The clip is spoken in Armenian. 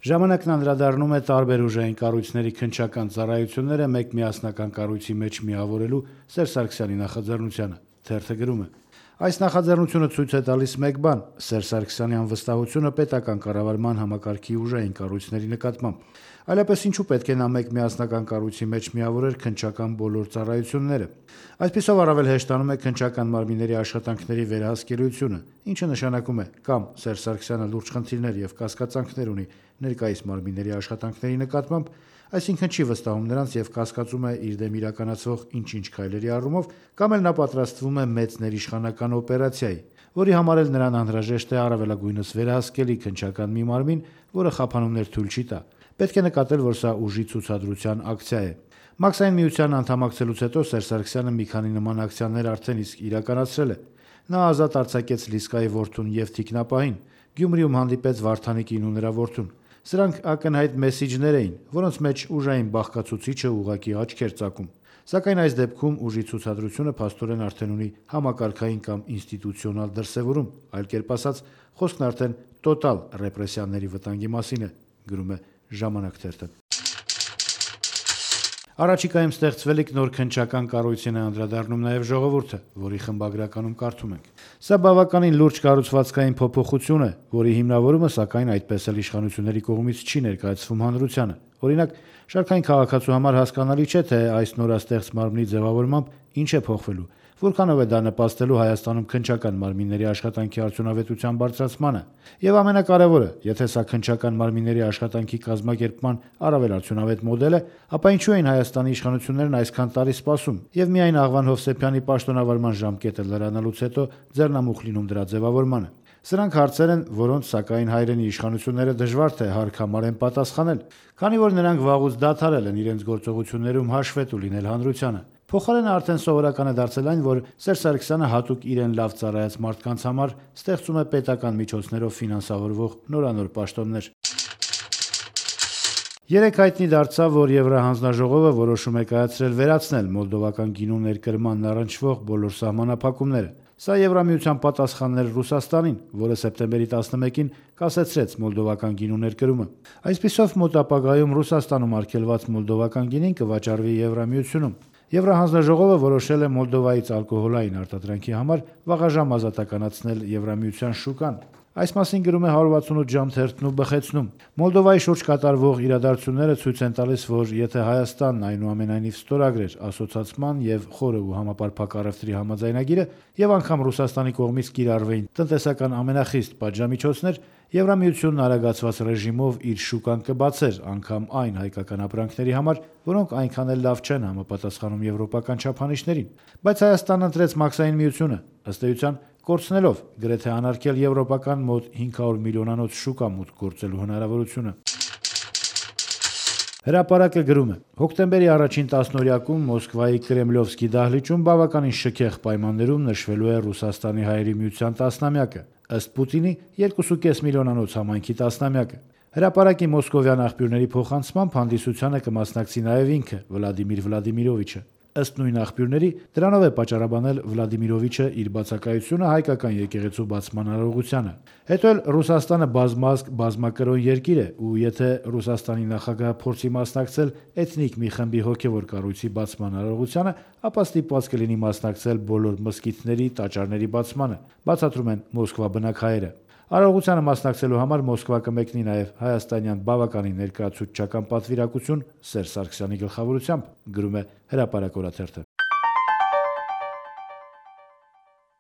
Ժամանակն անդրադառնում է տարբեր ուժային կառույցների քննչական ծառայությունները մեկ միասնական կառույցի մեջ միավորելու Սերժ Սարգսյանի նախաձեռնությանը։ Թերթը գրում է. այս նախաձեռնությունը ցույց է տալիս մեկ բան՝ Սերժ Սարգսյանի անվստահությունը պետական կառավարման համակարգի ուժային կառույցների նկատմամբ։ Այլապես ինչու պետք է նա մեկ միասնական կառույցի մեջ միավորեր քննչական բոլոր ծառայությունները։ Այսպիսով առավել հեշտանում է քննչական մարմինների աշխատանքների վերահսկելիությունը, ինչը նշանակում է կամ Սերժ Սարգսյանը լուրջ խնդիրներ եւ կասկածանքներ ունի ներկայիս մարմինների աշխատանքների նկատմամբ, այսինքն չի վստահում նրանց եւ կասկածում է իր դեմ իրականացվող ինչ-ինչ քայլերի առումով, կամ էլ նա պատրաստվում է մեծ ներիշխանական օպերացիայի, որի համար էլ նրան անհրաժեշտ է առավելագույնս վերահսկելի քննչական մի մարմին, որը խափանումներ թույլ չի տա։ Պետք է նկատել, որ սա ուժի ցուցադրության ակցիա է։ Մաքսային միության անդամակցելուց հետո Սերժ Սարգսյանը մի քանի նման ակցիաներ արդեն իսկ իրականացրել է։ Նա ազատ արձակեց Լիսկայի որդուն եւ թիկնապահին, Գյումրիում հանդիպեց Վարդանիկին ու նրա որդուն։ Սրանք ակնհայտ մեսիջներ էին, որոնց մեջ ուժային բաղկացուցիչը ուղղակի աչքեր ծակում։ Սակայն այս դեպքում ուժի ցուցադրությունը փաստորեն արդեն ունի համակարգային կամ ինստիտուցիոնալ դրսևորում, այլ կերպ ասած, խոսքն արդեն տոտալ ռեպրեսիաների վտանգի մասին է, գրում է Ժամանակ թերթը։ Առաջիկայում ստեղծվելիք նոր քննչական կառույցին է անդրադառնում նաև Ժողովուրդը, որի խմբագրականում կարդում ենք. Սա բավականին լուրջ կառուցվածքային փոփոխություն է, որի հիմնավորումը սակայն այդպես էլ իշխանությունների կողմից չի ներկայացվում հանրությանը։ Օրինակ, շարքային քաղաքացու համար հասկանալի չէ, թե այս նորաստեղծ մարմնի ձևավորմամբ ինչ է փոխվելու, որքանով է դա նպաստելու Հայաստանում քննչական մարմինների աշխատանքի արդյունավետության բարձրացմանը։ Եվ ամենակարևորը, եթե սա քննչական մարմինների աշխատանքի կազմակերպման առավել արդյունավետ մոդել է, ապա ինչու էին Հայաստանի իշխանություններն այսքան տարի սպասում եւ միայն Աղվան Հովսեփյանի պաշտոնավարման ժամկետը լրանալուց հետո ձեռնամուխ լինում դրա ձևավորմանը։ Սրանք հարցեր են, որոնց սակայն հայրենի իշխանությունները դժվար թե հարկամար են պատասխանել, քանի որ նրանք վաղուց դադարել են իրենց գործողություններում հաշվետու լինել հանրությանը։ Փոխարենը արդեն սովորական է դարձել այն, որ Սերժ Սարգսյանը հատուկ իրեն լավ ծառայած մարդկանց համար ստեղծում է պետական միջոցներով ֆինանսավորվող նորանոր պաշտոններ։ Երեկ հայտնի դարձավ, որ Եվրահանձնաժողովը որոշում է կայացրել վերացնել մոլդովական գինու ներկրմանն առնչվող բոլոր սահմանափակումները։ Սա Եվրամիության պատասխանն էր Ռուսաստանին, որը սեպտեմբերի 11-ին կասեցրեց մոլդովական գինու ներկրումը։ Այսպիսով մոտ ապագայում Ռուսաստանում արգելված մոլդովական գինին կվաճառվի Եվրամիությունում։ Եվրահանձնաժողովը որոշել է Մոլդովայից ալկոհոլային արտադրանքի համար վաղաժամ ազատականացնել Եվրամիության շուկան։ Այս մասին գրում է 168 ժամ թերթն ու բխեցնում։ Մոլդովայի շուրջ կատարվող իրադարձությունները ցույց են տալիս, որ եթե Հայաստանն այնուամենայնիվ ստորագրեր ասոցացման եւ խորը ու համապարփակ առևտրի համաձայնագիրը եւ անգամ Ռուսաստանի կողմից կիրառվեին տնտեսական ամենախիստ պատժամիջոցներ, Եվրամիությունն արագացված ռեժիմով իր շուկան կբացեր անգամ այն հայկական ապրանքների համար, որոնք այնքան էլ լավ չեն համապատասխանում եվրոպական չափանիշներին։ Բայց Հայաստանն ընտրեց մաքսային միությունը, ըստ էության կորցնելով գրեթե անարգել եվրոպական մոտ 500 միլիոնանոց շուկա մուտք գործելու հնարավորությունը։ Հրապարակը գրում է. հոկտեմբերի առաջին տասնօրյակում Մոսկվայի Կրեմլովսկի դահլիճում բավականին շքեղ պայմաններում նշվելու է Ռուսաստանի Հայերի Միության տասնամյակը, ըստ Պուտինի 2.5 միլիոնանոց համայնքի տասնամյակը։ Հրապարակի մոսկովյան աղբյուրների փոխանցմամբ հանդիսությանը կմասնակցի նաև ինքը Վլադիմիր Վլադիմիրովիչը։ Ըստ նույն աղբյուրների, դրանով է պատճառաբանել Վլադիմիրովիչը իր բացակայությունը հայկական եկեղեցու բացման արարողությանը։ Հետո էլ Ռուսաստանը բազմազգ բազմակրոն երկիր է, ու եթե Ռուսաստանի նախագահը փորձի մասնակցել էթնիկ մի խմբի հոգևոր կառույցի բացման արարողությանը, ապա ստիպված կլինի մասնակցել բոլոր մզկիթների, տաճարների բացմանը, բացատրում են Մոսկվա բնակ հայերը։ Արարողությանը մասնակցելու համար Մոսկվա կմեկնի նաև հայաստանյան բավականին ներկայացուցչական պատվիրակություն Սերժ Սարգսյանի գլխավորությամբ, գրում է Հրապարակ օրաթերթը։